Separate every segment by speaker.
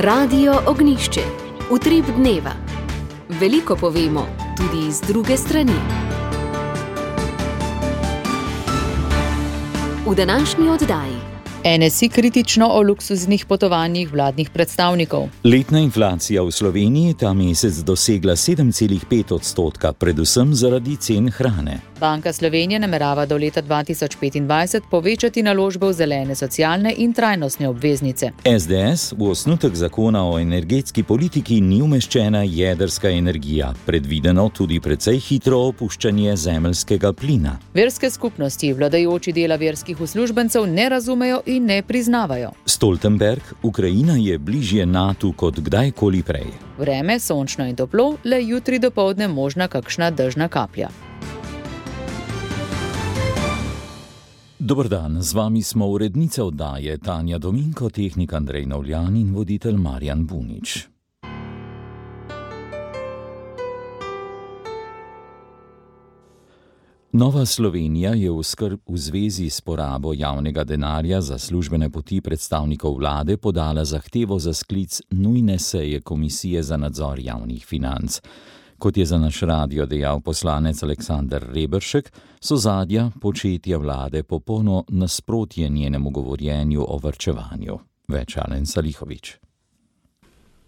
Speaker 1: Radio Ognjišče. Utrip dneva. Veliko povemo, tudi iz druge strani. V današnji oddaji.
Speaker 2: NSI kritično o luksuznih potovanjih vladnih predstavnikov.
Speaker 3: Letna inflacija v Sloveniji ta mesec dosegla 7,5%, predvsem zaradi cen hrane.
Speaker 2: Banka Slovenije namerava do leta 2025 povečati naložbe v zelene, socialne in trajnostne obveznice.
Speaker 3: SDS v osnutek zakona o energetski politiki ni umeščena jedrska energija, predvideno tudi precej hitro opuščanje zemeljskega plina.
Speaker 2: Verske skupnosti, vladajoči dela verskih uslužbencev ne razumejo in ne priznavajo.
Speaker 3: Stoltenberg, Ukrajina je bližje NATO kot kdajkoli prej.
Speaker 2: Vreme sončno in toplo, le jutri dopoldne možna kakšna dežna kaplja.
Speaker 3: Dober dan, z vami smo urednica oddaje Tanja Dominko, tehnik Andrej Novljan in voditelj Marjan Bunič. Nova Slovenija je v zvezi s porabo javnega denarja za službene poti predstavnikov vlade podala zahtevo za sklic nujne seje Komisije za nadzor javnih financ. Kot je za naš radio dejal poslanec Aleksander Reberšek, so zadja početja vlade popolno nasprotje njenemu govorjenju o varčevanju. Več Alen Salihović.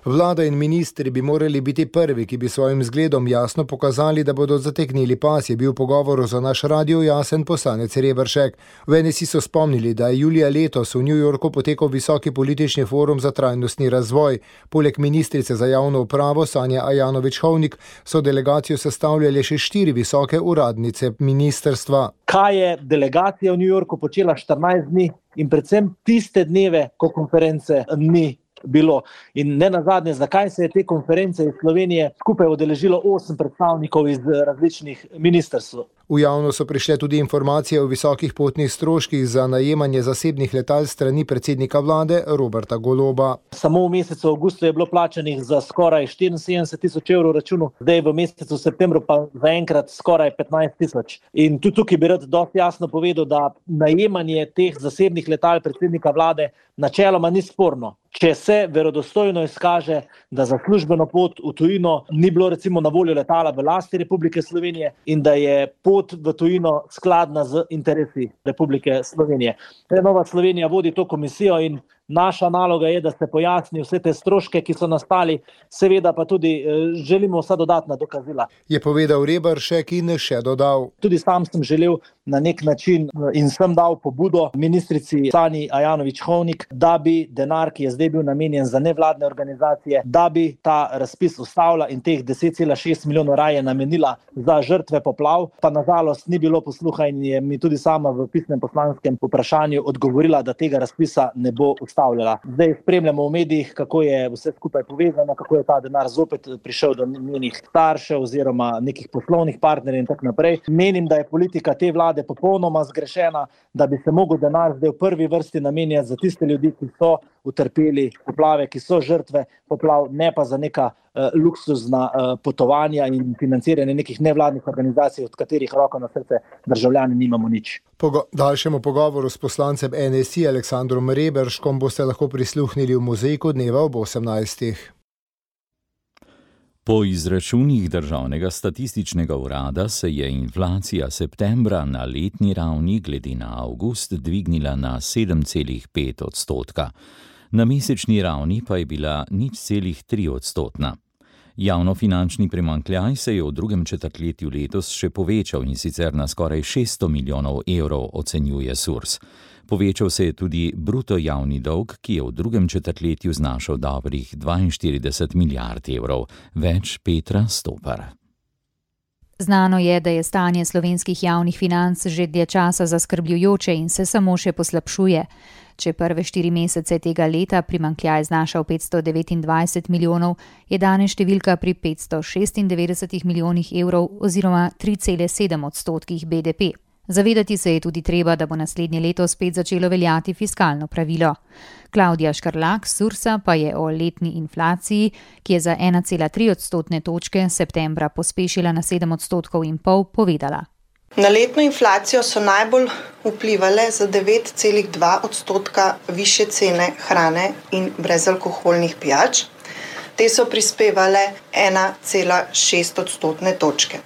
Speaker 4: Vlada in ministri bi morali biti prvi, ki bi svojim zgledom jasno pokazali, da bodo zategnili pas, je bil v pogovoru za naš radio jasen poslanec Reberšek. V NSI so spomnili, da je julija letos v New Yorku potekal visoki politični forum za trajnostni razvoj. Poleg ministrice za javno upravo Sanje Ajanović-Hovnik so delegacijo sestavljale še 4 visoke uradnice ministrstva.
Speaker 5: Kaj je delegacija v New Yorku počela 14 dni in predvsem tiste dneve, ko konference ni bilo. In ne nazadnje, zakaj se je te konference iz Slovenije skupaj udeležilo 8 predstavnikov iz različnih ministrstv.
Speaker 4: V javnost so prišle tudi informacije o visokih potnih stroških za najemanje zasebnih letal strani predsednika vlade Roberta Goloba.
Speaker 5: Samo v mesecu avgustu je bilo plačanih za skoraj 74.000 evrov računov, zdaj v mesecu septembru pa zaenkrat skoraj 15.000. In tudi tukaj bi rad dosti jasno povedal, da najemanje teh zasebnih letal predsednika vlade načeloma ni sporno. Če se verodostojno izkaže, da za službeno pot v tujino ni bilo recimo na voljo letala v lasti Republike Slovenije in da je pot v tujino skladna z interesi Republike Slovenije. Nova Slovenija vodi to komisijo in naša naloga je, da se pojasni vse te stroške, ki so nastali, seveda pa tudi želimo vsa dodatna dokazila.
Speaker 4: Je povedal Reberšek in še dodal.
Speaker 5: Tudi sam sem želel na nek način in sem dal pobudo ministrici Sanji Ajanović-Hovnik, da bi denar, ki je zdaj bil namenjen za nevladne organizacije, da bi ta razpis ustavila in teh 10,6 milijonov raje namenila za žrtve poplav, pa nažalost ni bilo posluha in je mi tudi sama v pisnem poslanskem vprašanju odgovorila, da tega razpisa ne bo ustavila. Zdaj spremljamo v medijih, kako je vse skupaj povezano, kako je ta denar zopet prišel do njenih staršev oziroma nekih poslovnih partnerjev in tako naprej. Menim, da je politika te vlade popolnoma zgrešena, da bi se mogel denar zdaj v prvi vrsti namenjati za tiste ljudi, ki so utrpeli poplave, ki so žrtve poplav, ne pa za neka luksuzna potovanja in financiranje nekih nevladnih organizacij, od katerih roko na srce državljani nimamo nič.
Speaker 4: Po daljšemu pogovoru s poslancem NSI Aleksandrom Reberškom boste lahko prisluhnili v Mozaiku dneva ob 18.
Speaker 3: Po izračunih Državnega statističnega urada se je inflacija septembra na letni ravni glede na avgust dvignila na 7,5%. Na mesečni ravni pa je bila 0,3%. Javnofinančni primanjkljaj se je v drugem četrtletju letos še povečal in sicer na skoraj 600 milijonov evrov, ocenjuje SURS. Povečal se je tudi bruto javni dolg, ki je v drugem četrtletju znašal dobrih 42 milijard evrov. Več Petra Stopar.
Speaker 6: Znano je, da je stanje slovenskih javnih financ že dlje časa zaskrbljujoče in se samo še poslabšuje. Če prve 4 mesece tega leta primanjkljaj znašal 529 milijonov, je danes številka pri 596 milijonih evrov oziroma 3,7% BDP. Zavedati se je tudi treba, da bo naslednje leto spet začelo veljati fiskalno pravilo. Klavdija Škarlak z SURS-a pa je o letni inflaciji, ki je za 1,3 odstotne točke septembra pospešila na 7,5 %, povedala.
Speaker 7: Na letno inflacijo so najbolj vplivale za 9,2% višje cene hrane in brezalkoholnih pijač. Te so prispevale 1,6 odstotne točke.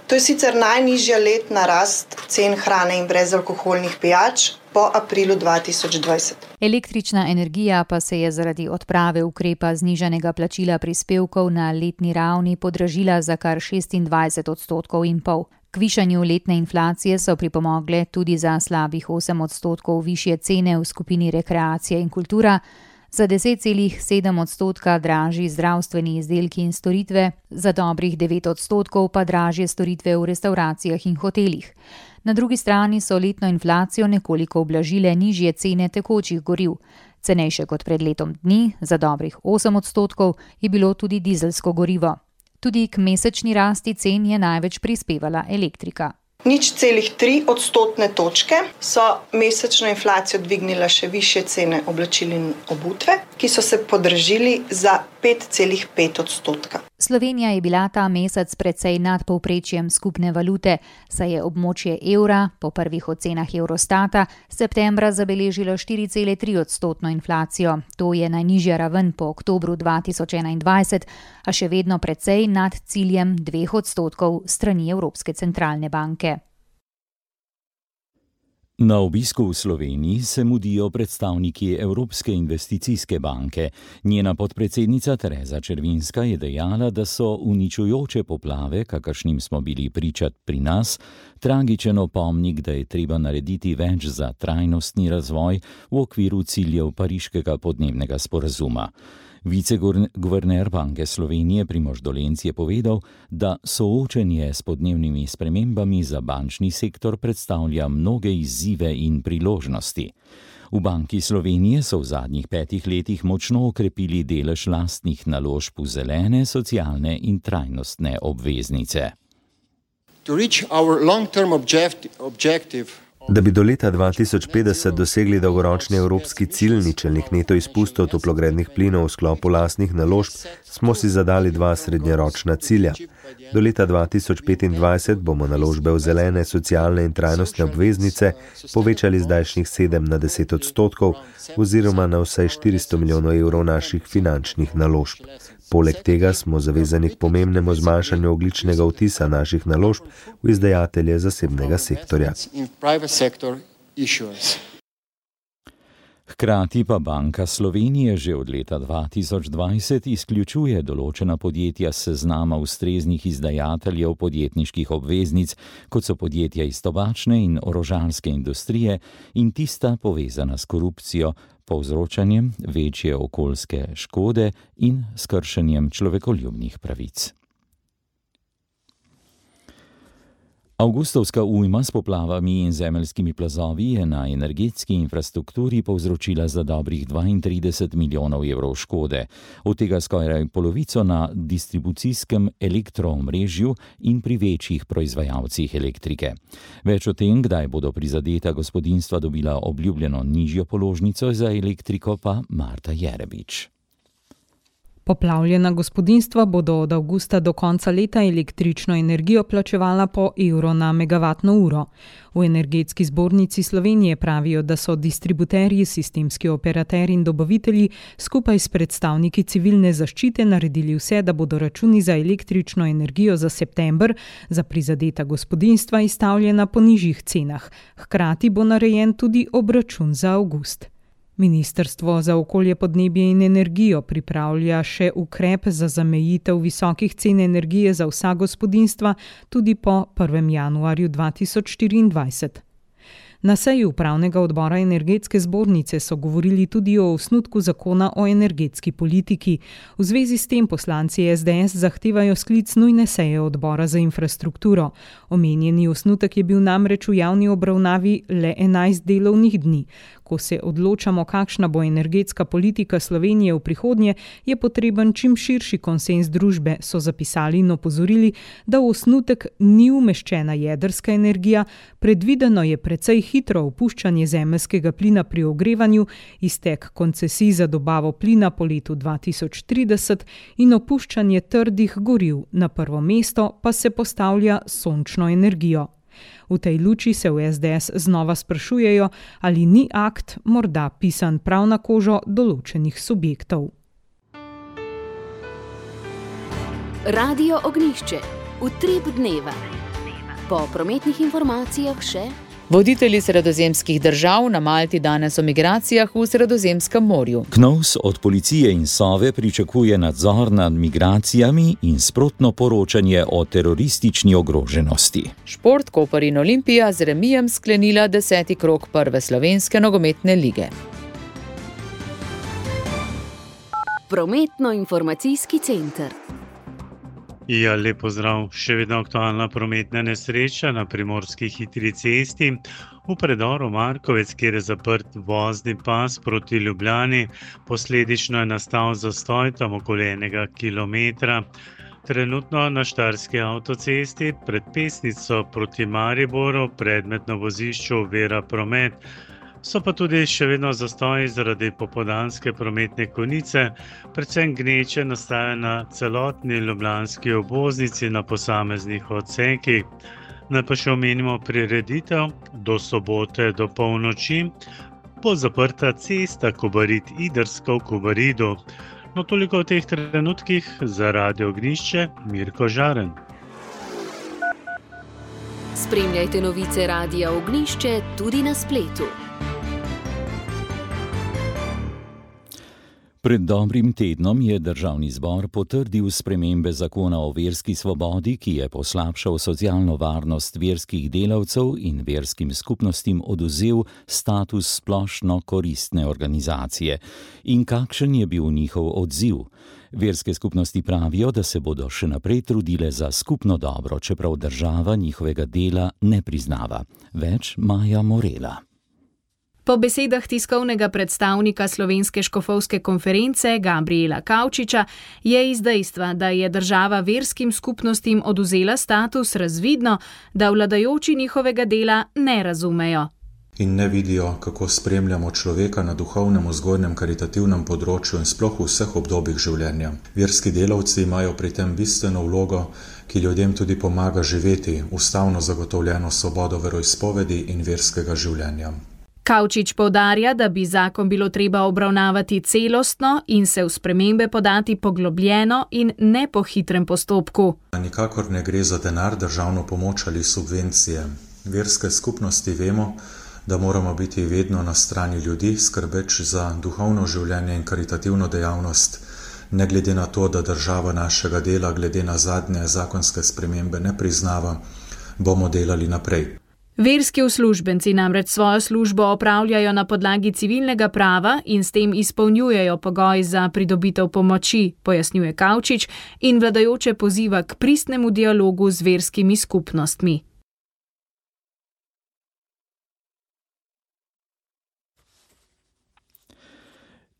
Speaker 7: To je sicer najnižja letna rast cen hrane in brezalkoholnih pijač po aprilu 2020.
Speaker 6: Električna energija pa se je zaradi odprave ukrepa znižanega plačila prispevkov na letni ravni podražila za kar 26,5%. K višanju letne inflacije so pripomogle tudi za slabih 8% višje cene v skupini rekreacija in kultura, za 10,7% dražji zdravstveni izdelki in storitve, za dobrih 9% pa dražje storitve v restavracijah in hotelih. Na drugi strani so letno inflacijo nekoliko ublažile nižje cene tekočih goriv. Cenejše kot pred letom dni, za dobrih 8%, je bilo tudi dizelsko gorivo. Tudi k mesečni rasti cen je največ prispevala elektrika.
Speaker 7: 0,3 odstotne točke so mesečno inflacijo dvignile še višje cene oblačil in obutve, ki so se podražili za 5,5%.
Speaker 6: Slovenija je bila ta mesec precej nad povprečjem skupne valute, saj je območje evra po prvih ocenah Eurostata septembra zabeležilo 4,3% inflacijo. To je najnižja raven po oktobru 2021, a še vedno precej nad ciljem 2% strani Evropske centralne banke.
Speaker 3: Na obisku v Sloveniji se mudijo predstavniki Evropske investicijske banke. Njena podpredsednica Tereza Červinska je dejala, da so uničujoče poplave, kakršnim smo bili pričat pri nas, tragičen opomnik, da je treba narediti več za trajnostni razvoj v okviru ciljev Pariškega podnebnega sporazuma. Viceguverner Banke Slovenije Primož Dolenc je povedal, da soočenje s podnebnimi spremembami za bančni sektor predstavlja mnoge izzive in priložnosti. V Banki Slovenije so v zadnjih 5 letih močno okrepili delež lastnih naložb v zelene, socialne in trajnostne obveznice.
Speaker 8: Da bi do leta 2050 dosegli dolgoročni evropski cilj ničelnih neto izpustov toplogrednih plinov v sklopu lastnih naložb, smo si zadali 2 srednjeročna cilja. Do leta 2025 bomo naložbe v zelene, socialne in trajnostne obveznice povečali z zdajšnjih 7 na 10% oziroma na vsaj 400 milijonov evrov naših finančnih naložb. Poleg tega smo zavezani k pomembnemu zmanjšanju ogljičnega odtisa naših naložb v izdajatelje zasebnega sektorja.
Speaker 3: Hkrati pa Banka Slovenije že od leta 2020 izključuje določena podjetja s seznama ustreznih izdajateljev podjetniških obveznic, kot so podjetja iz tobačne in orožarske industrije in tista povezana s korupcijo, povzročanjem večje okoljske škode in s kršenjem človekoljubnih pravic. Avgustovska ujma s poplavami in zemeljskimi plazovi je na energetski infrastrukturi povzročila za dobrih 32 milijonov evrov škode, od tega skoraj polovico na distribucijskem elektroomrežju in pri večjih proizvajalcih elektrike. Več o tem, kdaj bodo prizadeta gospodinjstva dobila obljubljeno nižjo položnico za elektriko, pa Marta Jerebič.
Speaker 9: Poplavljena gospodinjstva bodo od avgusta do konca leta električno energijo plačevala po evro na megavatno uro. V Energetski zbornici Slovenije pravijo, da so distributerji, sistemski operaterji in dobavitelji skupaj s predstavniki civilne zaščite naredili vse, da bodo računi za električno energijo za september za prizadeta gospodinjstva izstavljena po nižjih cenah. Hkrati bo narejen tudi obračun za avgust. Ministrstvo za okolje, podnebje in energijo pripravlja še ukrep za zamejitev visokih cen energije za vsa gospodinjstva tudi po 1. januarju 2024. Na seji upravnega odbora Energetske zbornice so govorili tudi o osnutku zakona o energetski politiki. V zvezi s tem poslanci SDS zahtevajo sklic nujne seje odbora za infrastrukturo. Omenjeni osnutek je bil namreč v javni obravnavi le 11 delovnih dni. Ko se odločamo, kakšna bo energetska politika Slovenije v prihodnje, je potreben čim širši konsenz družbe, so zapisali in opozorili, da v osnutek ni umeščena jedrska energija, predvideno je precej hitro opuščanje zemeljskega plina pri ogrevanju, iztek koncesij za dobavo plina po letu 2030 in opuščanje trdih goriv. Na prvo mesto pa se postavlja sončno energijo. V tej luči se v SDS znova sprašujejo, ali ni akt morda pisan prav na kožo določenih subjektov.
Speaker 1: Radio Ognjišče. Utrip dneva. Po prometnih informacijah še...
Speaker 2: Voditelji sredozemskih držav na Malti danes o migracijah v Sredozemskem morju.
Speaker 3: KNOVS od policije in Sove pričakuje nadzor nad migracijami in sprotno poročanje o teroristični ogroženosti.
Speaker 2: Šport, Koper in Olimpija z remijem sklenila 10. krog prve slovenske nogometne lige.
Speaker 1: Prometno-informacijski center.
Speaker 10: Ja, lep pozdrav. Še vedno aktualna prometna nesreča na primorski hitri cesti. V predoru Markovec, kjer je zaprt vozni pas proti Ljubljani, posledično je nastal zastoj tam okoli 1 kilometra. Trenutno na Štajerski avtocesti pred Pesnico proti Mariboru predmet na vozišču ovira promet. So pa tudi še vedno zastoji zaradi popoldanske prometne konice, predvsem gneče nastaja na celotni ljubljanski obvoznici na posameznih odsekih. Naj pa še omenimo prireditev do sobote do polnoči, bo zaprta cesta Kobarid-Idrska v Kobaridu. No, toliko v teh trenutkih za Radio Ognjišče, Mirko Žaren.
Speaker 1: Spremljajte novice Radia Ognjišče tudi na spletu.
Speaker 3: Pred dobrim tednom je Državni zbor potrdil spremembe zakona o verski svobodi, ki je poslabšal socialno varnost verskih delavcev in verskim skupnostim odvzel status splošno koristne organizacije. In kakšen je bil njihov odziv? Verske skupnosti pravijo, da se bodo še naprej trudile za skupno dobro, čeprav država njihovega dela ne priznava. Več Maja Morela.
Speaker 11: Po besedah tiskovnega predstavnika Slovenske škofovske konference Gabriela Kavčiča je iz dejstva, da je država verskim skupnostim odvzela status, razvidno, da vladajoči njihovega dela ne razumejo.
Speaker 12: In ne vidijo, kako spremljamo človeka na duhovnem, vzgojnem, karitativnem področju in sploh v vseh obdobjih življenja. Verski delavci imajo pri tem bistveno vlogo, ki ljudem tudi pomaga živeti ustavno zagotovljeno svobodo veroizpovedi in verskega življenja.
Speaker 11: Kavčič poudarja, da bi zakon bilo treba obravnavati celostno in se v spremembe podati poglobljeno in ne po hitrem postopku.
Speaker 12: Nikakor ne gre za denar, državno pomoč ali subvencije. Verske skupnosti vemo, da moramo biti vedno na strani ljudi, skrbeč za duhovno življenje in karitativno dejavnost, ne glede na to, da država našega dela glede na zadnje zakonske spremembe ne priznava, bomo delali naprej.
Speaker 11: Verski uslužbenci namreč svojo službo opravljajo na podlagi civilnega prava in s tem izpolnjujejo pogoj za pridobitev pomoči, pojasnjuje Kavčič in vladajoče poziva k pristnemu dialogu z verskimi skupnostmi.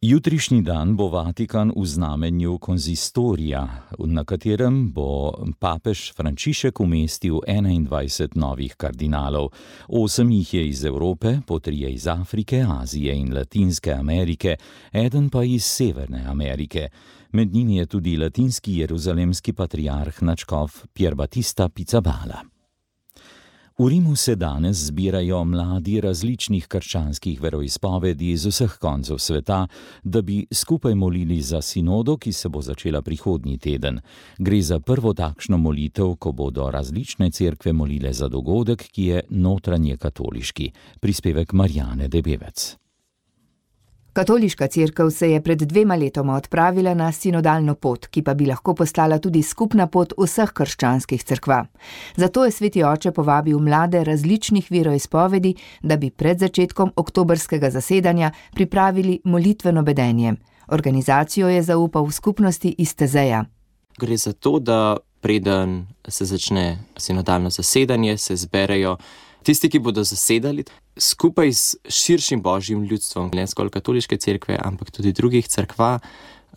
Speaker 3: Jutrišnji dan bo Vatikan v znamenju konzistorija, na katerem bo papež Frančišek umestil 21 novih kardinalov. 8 jih je iz Evrope, po 3 iz Afrike, Azije in Latinske Amerike, eden pa iz Severne Amerike. Med njimi je tudi latinski jeruzalemski patriarh nadškof Pier Battista Pizzaballa. V Rimu se danes zbirajo mladi različnih krščanskih veroizpovedi iz vseh koncev sveta, da bi skupaj molili za sinodo, ki se bo začela prihodnji teden. Gre za prvo takšno molitev, ko bodo različne cerkve molile za dogodek, ki je notranje katoliški. Prispevek Marjane Debevec.
Speaker 13: Katoliška cerkev se je pred 2 letoma odpravila na sinodalno pot, ki pa bi lahko postala tudi skupna pot vseh krščanskih cerkva. Zato je Sveti oče povabil mlade različnih veroizpovedi, da bi pred začetkom oktobrskega zasedanja pripravili molitveno bedenje. Organizacijo je zaupal v skupnosti iz Tezeja.
Speaker 14: Gre za to, da preden se začne sinodalno zasedanje, se zberejo tisti, ki bodo zasedali, skupaj s širšim božjim ljudstvom, ne zgolj katoliške cerkve, ampak tudi drugih cerkva,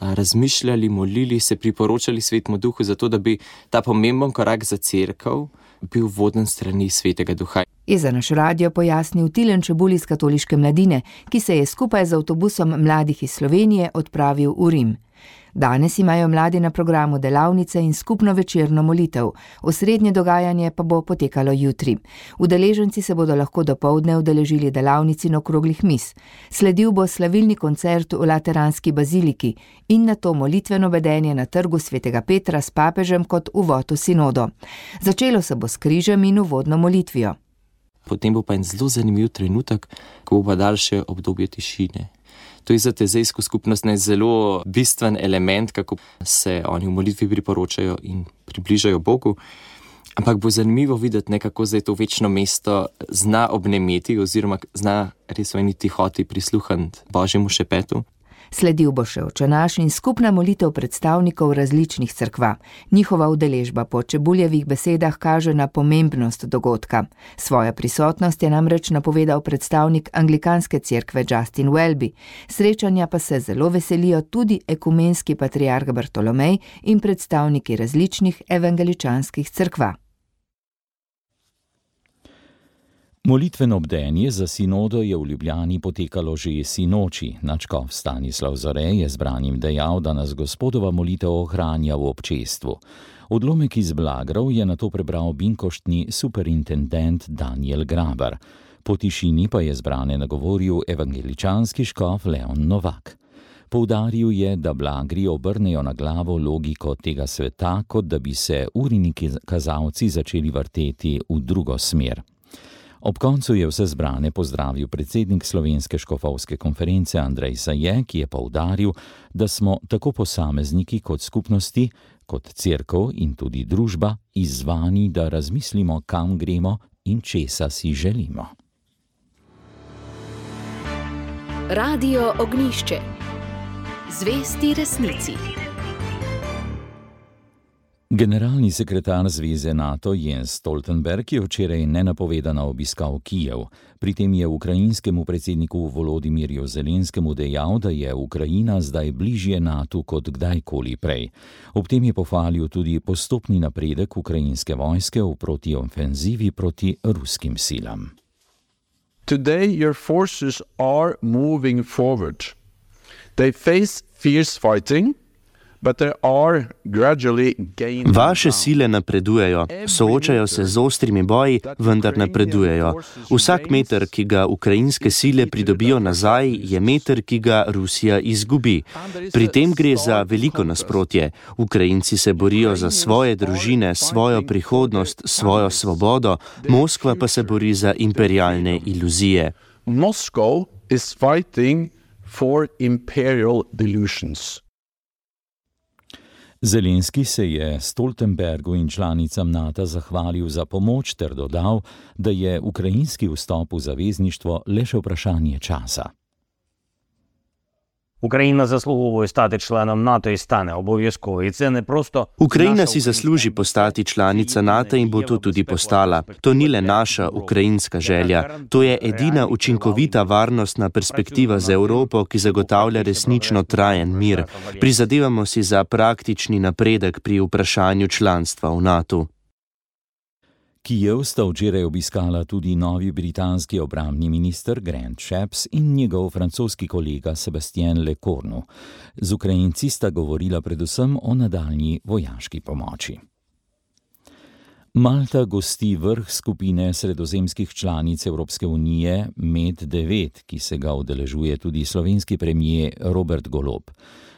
Speaker 14: razmišljali, molili, se priporočali Svetemu Duhu, zato da bi ta pomemben korak za cerkev bil voden strani Svetega Duha.
Speaker 13: Je za naš radio pojasnil Tilen Čebulj iz katoliške mladine, ki se je skupaj z avtobusom mladih iz Slovenije odpravil v Rim. Danes imajo mladi na programu delavnice in skupno večerno molitev, osrednje dogajanje pa bo potekalo jutri. Udeleženci se bodo lahko dopoldne udeležili delavnic in okroglih miz. Sledil bo slavilni koncert v Lateranski baziliki in nato molitveno vedenje na trgu Svetega Petra s papežem kot uvod v sinodo. Začelo se bo s križem in uvodno molitvijo.
Speaker 14: Potem bo pa en zelo zanimiv trenutek, ko bo pa daljše obdobje tišine. To je za tezejsko skupnost zelo bistven element, kako se oni v molitvi priporočajo in približajo Bogu. Ampak bo zanimivo videti, kako zdaj to večno mesto zna obnemeti oziroma zna res v eni tihoti prisluhniti Božjemu šepetu.
Speaker 13: Sledil bo še očenaš in skupna molitev predstavnikov različnih cerkva. Njihova udeležba po Čebuljevih besedah kaže na pomembnost dogodka. Svojo prisotnost je namreč napovedal predstavnik anglikanske cerkve Justin Welby. Srečanja pa se zelo veselijo tudi ekumenski patriarh Bartolomej in predstavniki različnih evangeličanskih cerkva.
Speaker 3: Molitveno bdenje za sinodo je v Ljubljani potekalo že sinoči. Nadškof Stanislav Zore je zbranim dejal, da nas Gospodova molitev ohranja v občestvu. Odlomek iz Blagrov je nato prebral binkoštni superintendent Daniel Grabar. Po tišini pa je zbrane nagovoril evangeličanski škof Leon Novak. Poudaril je, da Blagri obrnejo na glavo logiko tega sveta, kot da bi se urini kazalci začeli vrteti v drugo smer. Ob koncu je vse zbrane pozdravil predsednik Slovenske škofovske konference Andrej Saje, ki je poudaril, da smo tako posamezniki kot skupnosti, kot cerkev in tudi družba izzvani, da razmislimo, kam gremo in česa si želimo.
Speaker 1: Radio Ognjišče. Zvesti resnici.
Speaker 3: Generalni sekretar Zveze NATO Jens Stoltenberg je včeraj nenapovedano obiskal Kijev. Pri tem je ukrajinskemu predsedniku Volodimirju Zelenskemu dejal, da je Ukrajina zdaj bližje NATO kot kdajkoli prej. Ob tem je pohvalil tudi postopni napredek ukrajinske vojske v protiofenzivi proti ruskim silam.
Speaker 15: Today your forces are moving forward. They face fierce fighting.
Speaker 16: Vaše sile napredujejo, soočajo se z ostrimi boji, vendar napredujejo. Vsak meter, ki ga ukrajinske sile pridobijo nazaj, je meter, ki ga Rusija izgubi. Pri tem gre za veliko nasprotje. Ukrajinci se borijo za svoje družine, svojo prihodnost, svojo svobodo, Moskva pa se bori za imperialne iluzije.
Speaker 15: Moscow is fighting for imperial delusions.
Speaker 3: Zelenski se je Stoltenbergu in članicam NATO zahvalil za pomoč ter dodal, da je ukrajinski vstop v zavezništvo le še vprašanje časa.
Speaker 17: Україна заслуговує стати членом НАТО і стане обов'язково. І це не просто
Speaker 16: Ukrajina si zasluži postati članica NATO in bo to tudi postala. To ni le naša ukrajinska želja. To je edina učinkovita varnostna perspektiva za Evropo, ki zagotavlja resnično trajen mir. Prizadevamo si za praktični napredek pri vprašanju članstva v NATO.
Speaker 3: Kijev sta včeraj obiskala tudi novi britanski obrambni minister Grant Shapps in njegov francoski kolega Sebastien Lecornu. Z Ukrajinci sta govorila predvsem o nadaljnji vojaški pomoči. Malta gosti vrh skupine sredozemskih članic Evropske unije MED9, ki se ga udeležuje tudi slovenski premier Robert Golob.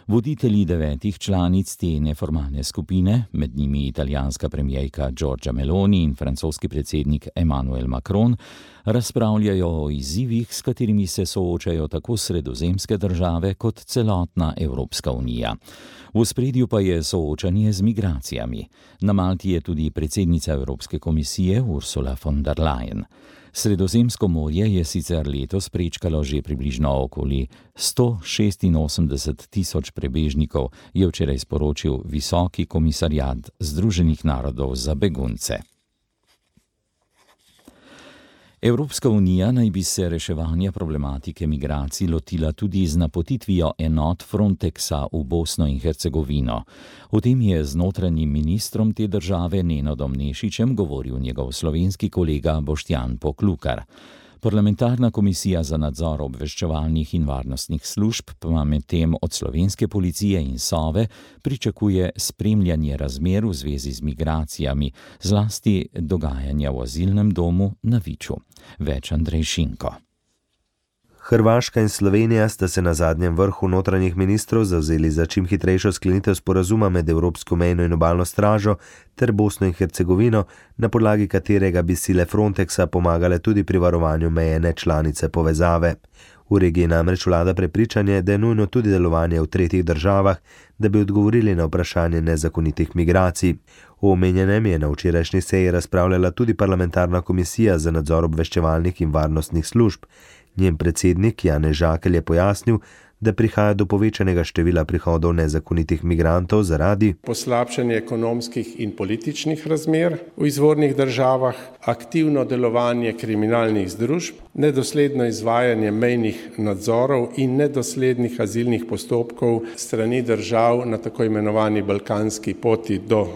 Speaker 3: Voditelji 9 članic te neformalne skupine, med njimi italijanska premijerka Giorgia Meloni in francoski predsednik Emmanuel Macron, razpravljajo o izzivih, s katerimi se soočajo tako sredozemske države kot celotna Evropska unija. V ospredju pa je soočanje z migracijami. Na Malti je tudi predsednica Evropske komisije Ursula von der Leyen. Sredozemsko morje je sicer letos prečkalo že približno okoli 186.000 prebežnikov, je včeraj sporočil Visoki komisarjat Združenih narodov za begunce. Evropska unija naj bi se reševanja problematike migracij lotila tudi z napotitvijo enot Frontexa v Bosno in Hercegovino. O tem je z notranjim ministrom te države Nenadom Nešičem govoril njegov slovenski kolega Boštjan Poklukar. Parlamentarna komisija za nadzor obveščevalnih in varnostnih služb pa medtem od slovenske policije in Sove pričakuje spremljanje razmer v zvezi z migracijami, zlasti dogajanja v azilnem domu na Viču. Več Andrej Šinko.
Speaker 8: Hrvaška in Slovenija sta se na zadnjem vrhu notranjih ministrov zavzeli za čim hitrejšo sklenitev sporazuma med Evropsko mejno in obalno stražo ter Bosno in Hercegovino, na podlagi katerega bi sile Frontexa pomagale tudi pri varovanju meje nečlanice povezave. V regiji namreč vlada prepričanje, da je nujno tudi delovanje v tretjih državah, da bi odgovorili na vprašanje nezakonitih migracij. O omenjenem je na včerajšnji seji razpravljala tudi parlamentarna komisija za nadzor obveščevalnih in varnostnih služb. Njen predsednik Janez Žakelj je pojasnil, da prihaja do povečanega števila prihodov nezakonitih migrantov zaradi
Speaker 18: poslabšanja ekonomskih in političnih razmer v izvornih državah, aktivno delovanje kriminalnih združb, nedosledno izvajanje mejnih nadzorov in nedoslednih azilnih postopkov strani držav na tako imenovani balkanski poti do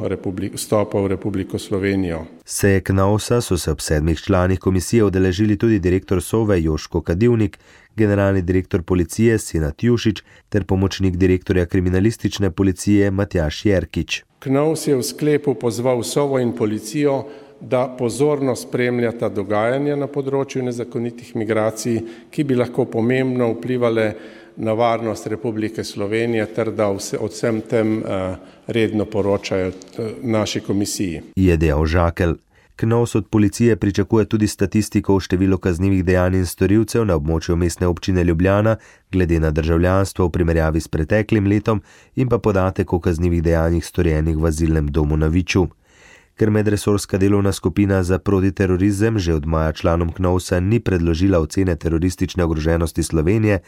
Speaker 18: vstopa v Republiko Slovenijo.
Speaker 8: Seje KNOVS-a so se ob 7 članih komisije udeležili tudi direktor Sove Joško Kadivnik, generalni direktor policije Senad Jušić ter pomočnik direktorja kriminalistične policije Matjaž Jerkič.
Speaker 18: KNOVS je v sklepu pozval Sovo in policijo, da pozorno spremljata dogajanja na področju nezakonitih migracij, ki bi lahko pomembno vplivale na varnost Republike Slovenije ter da o vsem tem redno poročajo naši komisiji.
Speaker 8: Je dejal Žakelj. KNOVS od policije pričakuje tudi statistiko o številu kaznivih dejanj in storilcev na območju mestne občine Ljubljana glede na državljanstvo v primerjavi s preteklim letom in pa podatek o kaznivih dejanjih storjenih v azilnem domu na Viču. Ker medresorska delovna skupina za protiterorizem že od maja članom KNOVS-a ni predložila ocene teroristične ogroženosti Slovenije,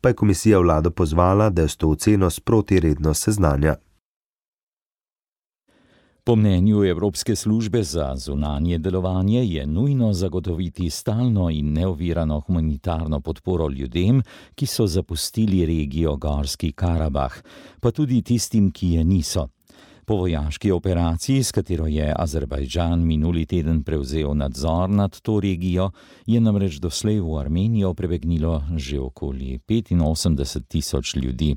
Speaker 8: pa je komisija vlado pozvala, da jo s to oceno sproti redno seznanja.
Speaker 3: Po mnenju Evropske službe za zunanje delovanje je nujno zagotoviti stalno in neovirano humanitarno podporo ljudem, ki so zapustili regijo Gorski Karabah, pa tudi tistim, ki je niso. Po vojaški operaciji, s katero je Azerbajdžan minuli teden prevzel nadzor nad to regijo, je namreč doslej v Armenijo prebegnilo že okoli 85.000 ljudi.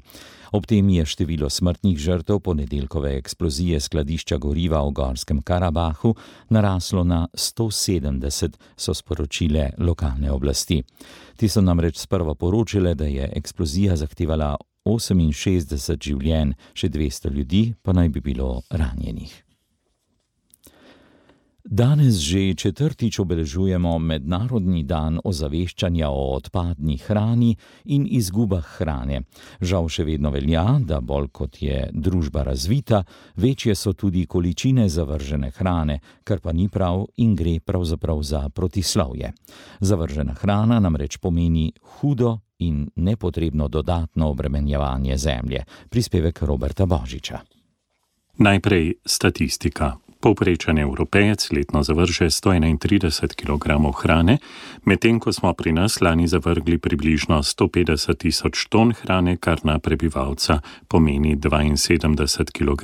Speaker 3: Ob tem je število smrtnih žrtev ponedeljkove eksplozije skladišča goriva v Gorskem Karabahu naraslo na 170, so sporočile lokalne oblasti. Ti so namreč sprva poročile, da je eksplozija zahtevala 68 življenj, še 200 ljudi pa naj bi bilo ranjenih. Danes že četrtič obeležujemo Mednarodni dan ozaveščanja o odpadni hrani in izgubah hrane. Žal še vedno velja, da bolj kot je družba razvita, večje so tudi količine zavržene hrane, kar pa ni prav in gre pravzaprav za protislovje. Zavržena hrana namreč pomeni hudo in nepotrebno dodatno obremenjevanje zemlje. Prispevek Roberta Božiča.
Speaker 19: Najprej statistika. Povprečen Evropejec letno zavrže 131 kg hrane, medtem ko smo pri nas lani zavrgli približno 150.000 ton hrane, kar na prebivalca pomeni 72 kg,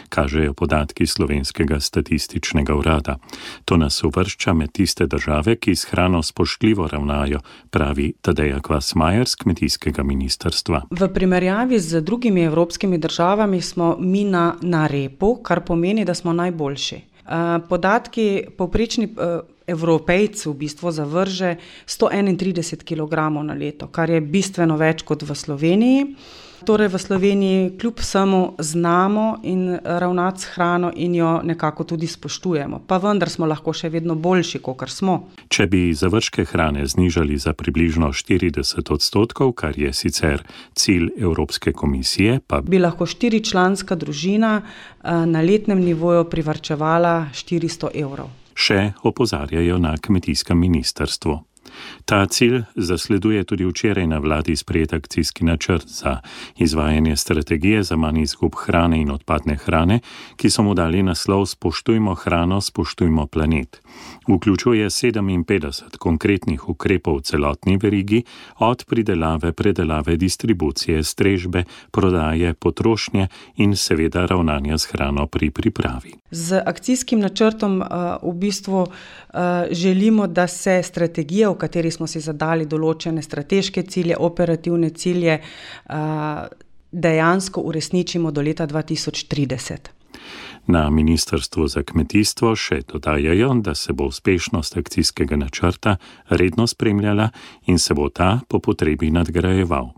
Speaker 19: kažejo podatki Slovenskega statističnega urada. To nas uvršča med tiste države, ki s hrano spoštljivo ravnajo, pravi Tadeja Kvasmajer z kmetijskega ministrstva.
Speaker 20: V primerjavi z drugimi evropskimi državami smo mi na repu, kar pomeni, da smo najboljši. Podatki, povprečni Evropejci v bistvu zavrže 131 kg na leto, kar je bistveno več kot v Sloveniji. Torej v Sloveniji kljub vsemu znamo in ravnati s hrano in jo nekako tudi spoštujemo. Pa vendar smo lahko še vedno boljši, kakor smo.
Speaker 19: Če bi zavržke hrane znižali za približno 40%, kar je sicer cilj Evropske komisije, pa
Speaker 20: bi lahko 4-članska družina na letnem nivoju privarčevala 400 evrov.
Speaker 19: Še opozarjajo na kmetijskem ministrstvu. Ta cilj zasleduje tudi včeraj na vladi sprejet akcijski načrt za izvajanje strategije za manj izgub hrane in odpadne hrane, ki so mu dali naslov Spoštujmo hrano, spoštujmo planet. Vključuje 57 konkretnih ukrepov v celotni verigi, od pridelave, predelave, distribucije, strežbe, prodaje, potrošnje in seveda ravnanja s hrano pri pripravi.
Speaker 20: Z akcijskim načrtom v bistvu želimo, da se strategija strategijo, v kateri smo si zadali določene strateške cilje, operativne cilje, dejansko uresničimo do leta 2030.
Speaker 19: Na Ministrstvu za kmetijstvo še dodajajo, da se bo uspešnost akcijskega načrta redno spremljala in se bo ta po potrebi nadgrajeval.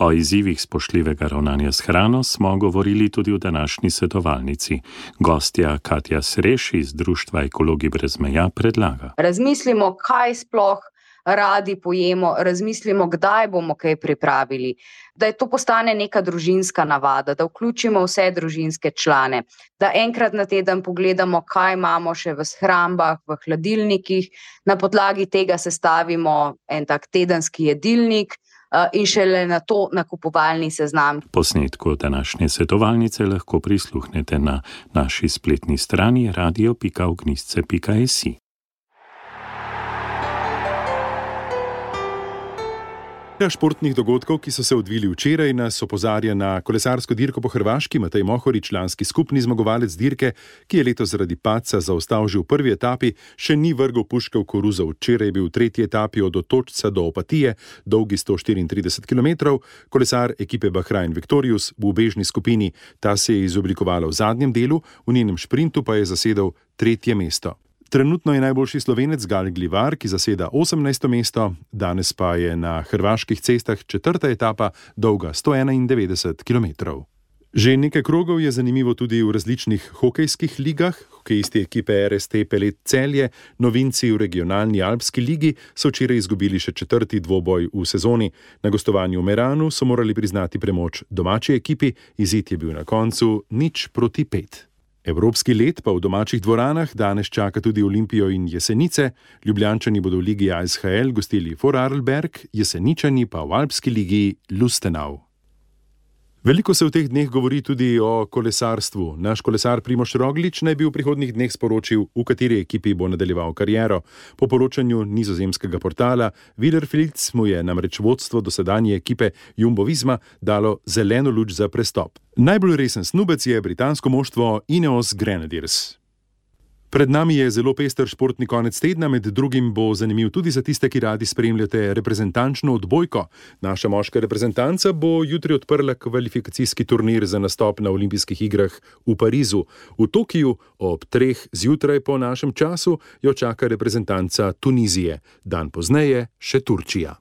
Speaker 19: O izzivih spoštljivega ravnanja s hrano smo govorili tudi v današnji svetovalnici. Gostja Katja Sreš iz Društva Ekologi brez meja predlaga.
Speaker 21: Razmislimo, kaj sploh radi pojemo, razmislimo, kdaj bomo kaj pripravili, da je to postane neka družinska navada, da vključimo vse družinske člane, da enkrat na teden pogledamo, kaj imamo še v shrambah, v hladilnikih, na podlagi tega sestavimo en tak tedenski jedilnik, in šele na to nakupovalni seznam.
Speaker 19: Posnetku današnje svetovalnice lahko prisluhnete na naši spletni strani radio.ognisce.si.
Speaker 22: Športnih dogodkov, ki so se odvili včeraj, nas opozarja na kolesarsko dirko po Hrvaški. Matej Mohorič, lanski skupni zmagovalec dirke, ki je letos zaradi padca zaostal že v prvi etapi, še ni vrgel puške v koruzo. Včeraj je bil v tretji etapi od Otočca do Opatije, dolgi 134 km, kolesar ekipe Bahrain Victorious v ubežni skupini. Ta se je izoblikovala v zadnjem delu, v njenem šprintu pa je zasedel tretje mesto. Trenutno je najboljši Slovenec Gal Glivar, ki zaseda 18. mesto, danes pa je na hrvaških cestah četrta etapa, dolga 191 km. Že nekaj krogov je zanimivo tudi v različnih hokejskih ligah. Hokejisti ekipe RST Pelet Celje, novinci v regionalni alpski ligi, so včeraj izgubili še četrti dvoboj v sezoni. Na gostovanju v Meranu so morali priznati premoč domači ekipi, izid je bil na koncu 0-5. Evropski let pa v domačih dvoranah danes čaka tudi Olimpijo in Jesenice. Ljubljančani bodo v ligi ASHL gostili Vorarlberg, Jeseničani pa v alpski ligi Lustenau. Veliko se v teh dneh govori tudi o kolesarstvu. Naš kolesar Primož Roglič naj bi v prihodnjih dneh sporočil, v kateri ekipi bo nadaljeval kariero. Po poročanju nizozemskega portala Wielerfeld mu je namreč vodstvo dosedanje ekipe Jumbo Visma dalo zeleno luč za prestop. Najbolj resen snubec je britansko moštvo Ineos Grenadiers. Pred nami je zelo pester športni konec tedna, med drugim bo zanimiv tudi za tiste, ki radi spremljate reprezentančno odbojko. Naša moška reprezentanca bo jutri odprla kvalifikacijski turnir za nastop na olimpijskih igrah v Parizu. V Tokiju ob 3 zjutraj po našem času jo čaka reprezentanca Tunizije, dan pozneje še Turčija.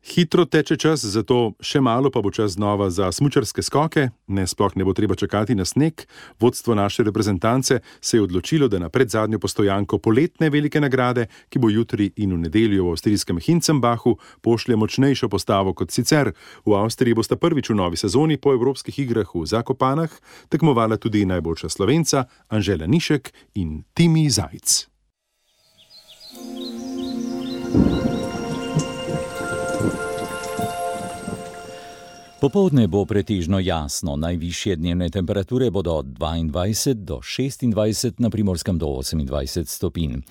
Speaker 22: Hitro teče čas, zato še malo pa bo čas znova za smučarske skoke. Sploh ne bo treba čakati na sneg. Vodstvo naše reprezentance se je odločilo, da na predzadnjo postojanko poletne velike nagrade, ki bo jutri in v nedeljo v avstrijskem Hinzenbachu, pošlje močnejšo postavo kot sicer. V Avstriji bosta prvič v novi sezoni po evropskih igrah v Zakopanah tekmovala tudi najboljša Slovenca Anžela Nišek in Timi Zajc.
Speaker 3: Popoldne bo pretežno jasno, najvišje dnevne temperature bodo od 22 do 26, na Primorskem do 28 stopinj.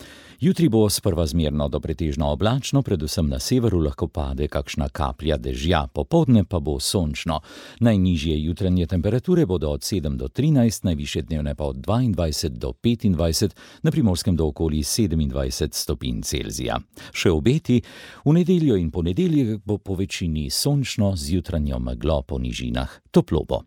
Speaker 3: Jutri bo sprva zmerno do pretežno oblačno, predvsem na severu lahko pade kakšna kaplja dežja, popoldne pa bo sončno. Najnižje jutranje temperature bodo od 7 do 13, najvišje dnevne pa od 22 do 25, na Primorskem do okoli 27 stopinj Celzija. Še obeti, v nedeljo in ponedeljek bo po večini sončno, z jutranjo meglo po nižinah, toplo bo.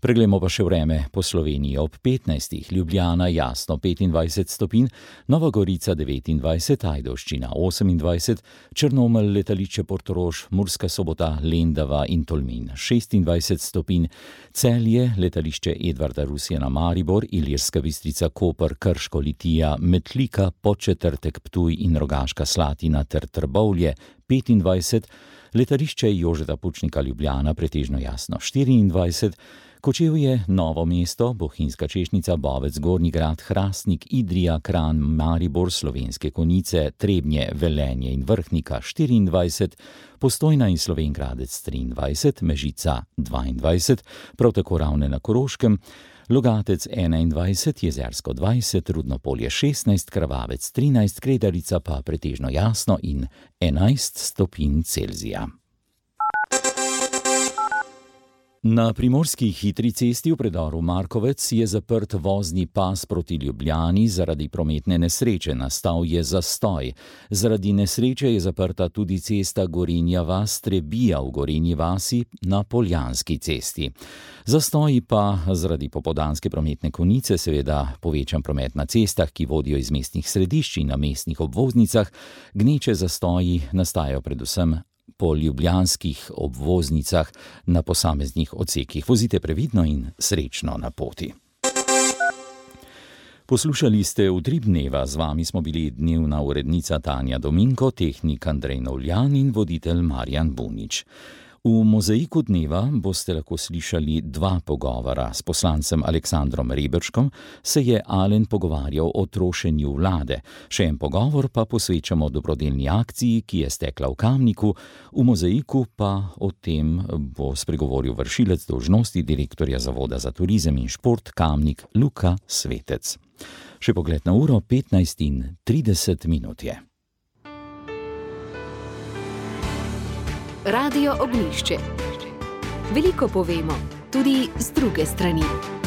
Speaker 3: Preglejmo pa še vreme po Sloveniji ob 15. Ljubljana jasno 25 stopinj, Nova Gorica 29, Ajdovščina 28, Črnomelj, letališče Portorož, Murska Sobota, Lendava in Tolmin 26 stopinj, Celje, letališče Edvarda Rusjana Maribor, Ilirska Bistrica, Koper, Krško, Litija, Metlika, Podčetrtek, Ptuj in Rogaška Slatina ter Trbovlje 25, letališče Jožeta Pučnika Ljubljana pretežno jasno 24, Kočevje, Novo mesto, Bohinjska Češnica, Bovec, Gornji Grad, Hrastnik, Idrija, Kranj, Maribor, Slovenske Konjice, Trebnje, Velenje in Vrhnika 24, Postojna in Slovenj Gradec 23, Mežica 22, prav tako Ravne na Koroškem, Logatec 21, Jezersko 20, Rudno Polje 16, Krvavec 13, Kredarica pa pretežno jasno in 11 stopinj Celzija. Na primorski hitri cesti v predoru Markovec je zaprt vozni pas proti Ljubljani zaradi prometne nesreče. Nastal je zastoj. Zaradi nesreče je zaprta tudi cesta Gorenja vas-Trebija v Gorenji vasi na Poljanski cesti. Zastoji pa zaradi popoldanske prometne konice seveda povečan promet na cestah, ki vodijo iz mestnih središč in na mestnih obvoznicah. Gneče zastoji nastajajo predvsem po ljubljanskih obvoznicah na posameznih odsekih. Vozite previdno in srečno na poti. Poslušali ste Utrip dneva, z vami smo bili dnevna urednica Tanja Dominko, tehnik Andrej Novljan in voditelj Marjan Bunič. V Mozaiku dneva boste lahko slišali 2 pogovora. S poslancem Aleksandrom Reberškom se je Alen pogovarjal o trošenju vlade. Še en pogovor pa posvečamo dobrodelni akciji, ki je stekla v Kamniku. V Mozaiku pa o tem bo spregovoril vršilec dolžnosti direktorja Zavoda za turizem in šport Kamnik Luka Svetec. Še pogled na uro, 15:30 je.
Speaker 1: Radio Ognjišče. Veliko povemo, tudi z druge strani.